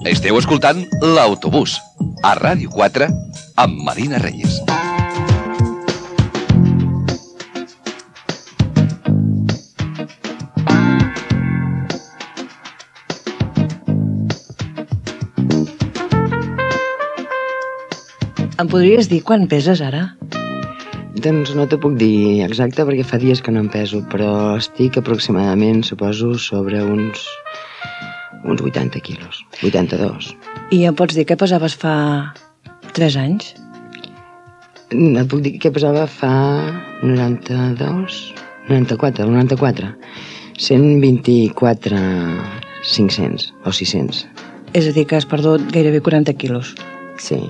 Esteu escoltant L'Autobús, a Ràdio 4, amb Marina Reyes. Em podries dir quan peses ara? Doncs no t'ho puc dir exacte perquè fa dies que no em peso, però estic aproximadament, suposo, sobre uns 80 quilos, 82. I em pots dir què pesaves fa 3 anys? Et puc dir què pesava fa 94, 124, 500 o 600. És a dir, que has perdut gairebé 40 quilos. Sí,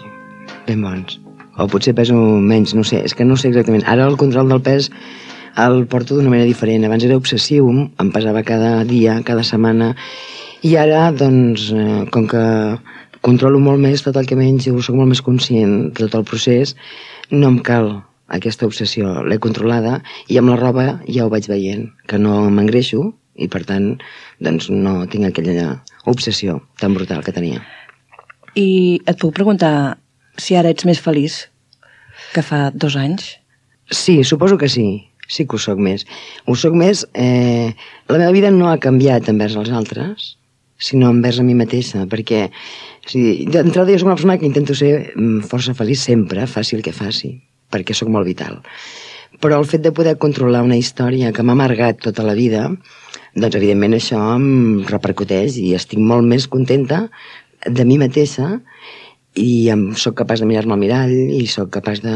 ben bons. O potser peso menys, no sé, és que no sé exactament. Ara el control del pes el porto d'una manera diferent. Abans era obsessiu, em pesava cada dia, cada setmana, i ara, doncs, com que controlo molt més tot el que menjo, soc molt més conscient de tot el procés, no em cal aquesta obsessió. L'he controlada i amb la roba ja ho vaig veient, que no m'engreixo i, per tant, doncs no tinc aquella obsessió tan brutal que tenia. I et puc preguntar si ara ets més feliç que fa 2 anys? Sí, suposo que sí. Sí que ho soc més. Ho soc més... La meva vida no ha canviat envers els altres, sinó envers a mi mateixa, perquè d'entrada jo soc una persona que intento ser força feliç sempre, faci el que faci, perquè sóc molt vital. Però el fet de poder controlar una història que m'ha amargat tota la vida, doncs evidentment això em repercuteix i estic molt més contenta de mi mateixa i sóc capaç de mirar-me al mirall i sóc capaç de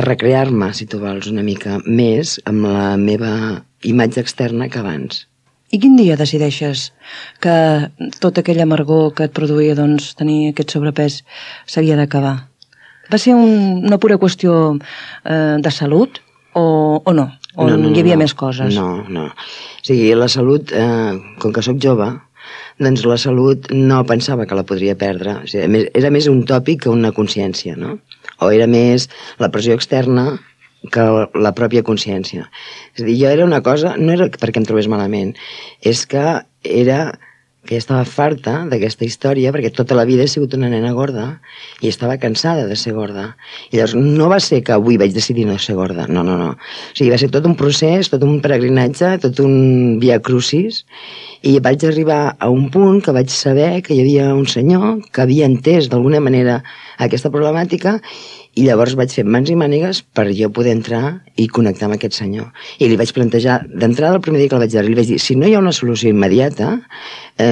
recrear-me, si tu vols, una mica més amb la meva imatge externa que abans. I quin dia decideixes que tota aquella amargor que et produïa doncs, tenir aquest sobrepès s'havia d'acabar? Va ser una pura qüestió de salut o no? O no, hi havia més coses? No. O sigui, la salut, com que sóc jove, doncs la salut no pensava que la podria perdre. O sigui, era més un tòpic que una consciència, no? O era més la pressió externa que la pròpia consciència. És a dir, jo era una cosa, no era perquè em trobés malament, és que ja estava farta d'aquesta història, perquè tota la vida he sigut una nena gorda i estava cansada de ser gorda. I llavors no va ser que avui vaig decidir no ser gorda, no. O sigui, va ser tot un procés, tot un peregrinatge, tot un via crucis, i vaig arribar a un punt que vaig saber que hi havia un senyor que havia entès d'alguna manera aquesta problemàtica i llavors vaig fer mans i mànigues per jo poder entrar i connectar amb aquest senyor. I li vaig plantejar, d'entrada el primer dia que el vaig veure, li vaig dir, si no hi ha una solució immediata,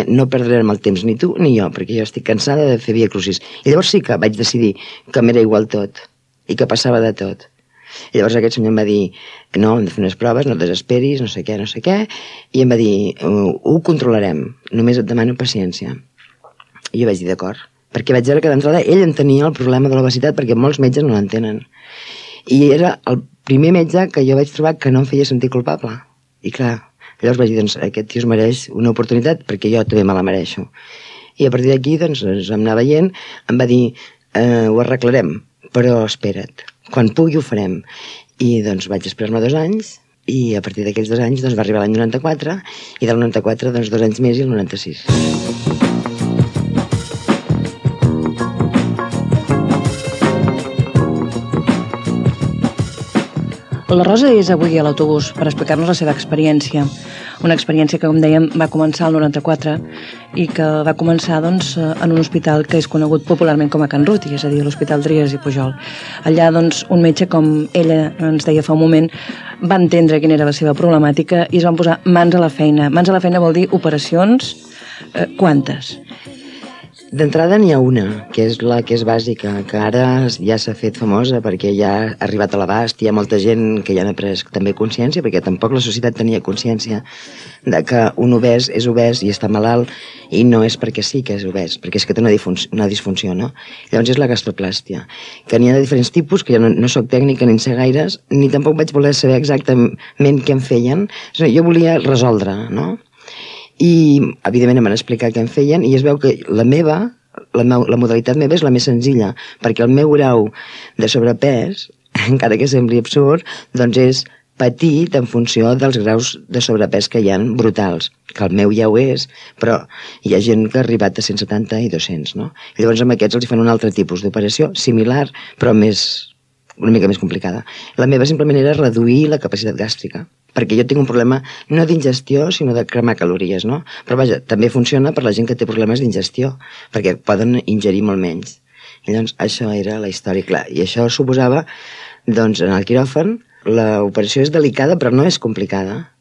no perdrem el temps ni tu ni jo, perquè jo estic cansada de fer via crucis. I llavors sí que vaig decidir que m'era igual tot i que passava de tot. I llavors aquest senyor em va dir, no, hem de fer unes proves, no et desesperis, no sé què, i em va dir, ho controlarem, només et demano paciència. I jo vaig dir, d'acord, perquè vaig veure que d'entrada ell entenia el problema de l'obesitat, perquè molts metges no l'entenen. I era el primer metge que jo vaig trobar que no em feia sentir culpable. I clar, llavors vaig dir, doncs, aquest tio es mereix una oportunitat, perquè jo també me la mereixo. I a partir d'aquí, doncs, em anava veient, em va dir, ho arreglarem, però espera't, quan pugui ho farem. I doncs vaig esperar-me 2 anys, i a partir d'aquells 2 anys doncs, va arribar l'any 94, i del 94, doncs, 2 anys més i el 96. La Rosa és avui a l'autobús per explicar-nos la seva experiència. Una experiència que, com dèiem, va començar el 94 i que va començar doncs, en un hospital que és conegut popularment com a Can Ruti, és a dir, l'Hospital Trias i Pujol. Allà, doncs, un metge, com ella ens deia fa un moment, va entendre quina era la seva problemàtica i es van posar mans a la feina. Mans a la feina vol dir operacions. Quantes? D'entrada n'hi ha una, que és la que és bàsica, que ara ja s'ha fet famosa perquè ja ha arribat a l'abast, hi ha molta gent que ja n'ha pres també consciència, perquè tampoc la societat tenia consciència de que un obès és obès i està malalt i no és perquè sí que és obès, perquè és que té una disfunció, no? Llavors és la gastroplàstia, que n'hi ha de diferents tipus, que jo no soc tècnica ni en sé gaires, ni tampoc vaig voler saber exactament què em feien, jo volia resoldre, no? I, evidentment, em van explicar què em feien i es veu que la modalitat meva és la més senzilla, perquè el meu grau de sobrepès, encara que sembli absurd, doncs és petit en funció dels graus de sobrepès que hi ha brutals, que el meu ja ho és, però hi ha gent que ha arribat a 170 i 200, no? I llavors amb aquests els fan un altre tipus d'operació, similar, però una mica més complicada. La meva simplement era reduir la capacitat gàstrica, perquè jo tinc un problema no d'ingestió, sinó de cremar calories, no? Però vaja, també funciona per la gent que té problemes d'ingestió, perquè poden ingerir molt menys. I llavors això era la història, clar. I això suposava, doncs, en el quiròfan, l'operació és delicada però no és complicada.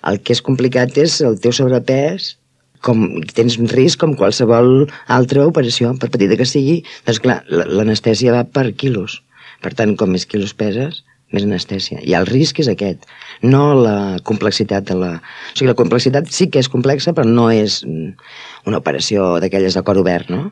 El que és complicat és el teu sobrepès, tens risc com qualsevol altra operació, per petita que sigui. Doncs clar, l'anestèsia va per quilos. Per tant, com més quilos peses, més anestèsia. I el risc és aquest, no la complexitat de la... O sigui, la complexitat sí que és complexa, però no és una operació d'aquelles de cor obert, no?